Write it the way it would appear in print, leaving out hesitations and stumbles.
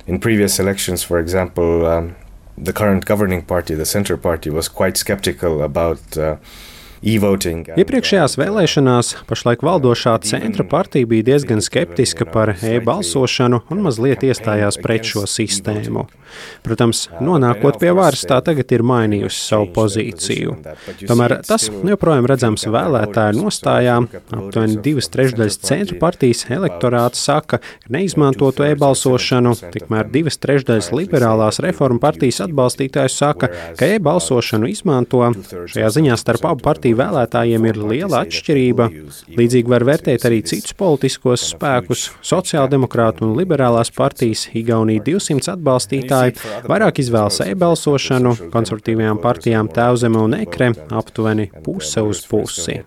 In previous elections, for example, the current governing party, the Centre Party, was quite skeptical about e-voting. Iepriekšējās vēlēšanās pašlaik valdošā centra partija bija diezgan skeptiska par e-balsošanu un mazliet iestājās pret šo sistēmu. Protams, nonākot pie varas, tā tagad ir mainījusi savu pozīciju. Tomēr tas joprojām redzams vēlētāju nostājā. Aptuveni 2/3 centra partijas elektorāta saka, ka neizmantotu e-balsošanu, tikmēr 2/3 liberālās reformu partijas atbalstītāju saka, ka e-balsošanu izmanto. Šajā ziņā starp abu partiju vēlētājiem ir liela atšķirība. Līdzīgi var vērtēt arī citus politiskos spēkus. Sociāldemokrātu un liberālās partijas Igaunija 200 atbalstītāji vairāk izvēlas e-balsošanu, konservatīvajām partijām Tēvzeme un Ekre aptuveni puse uz pusi.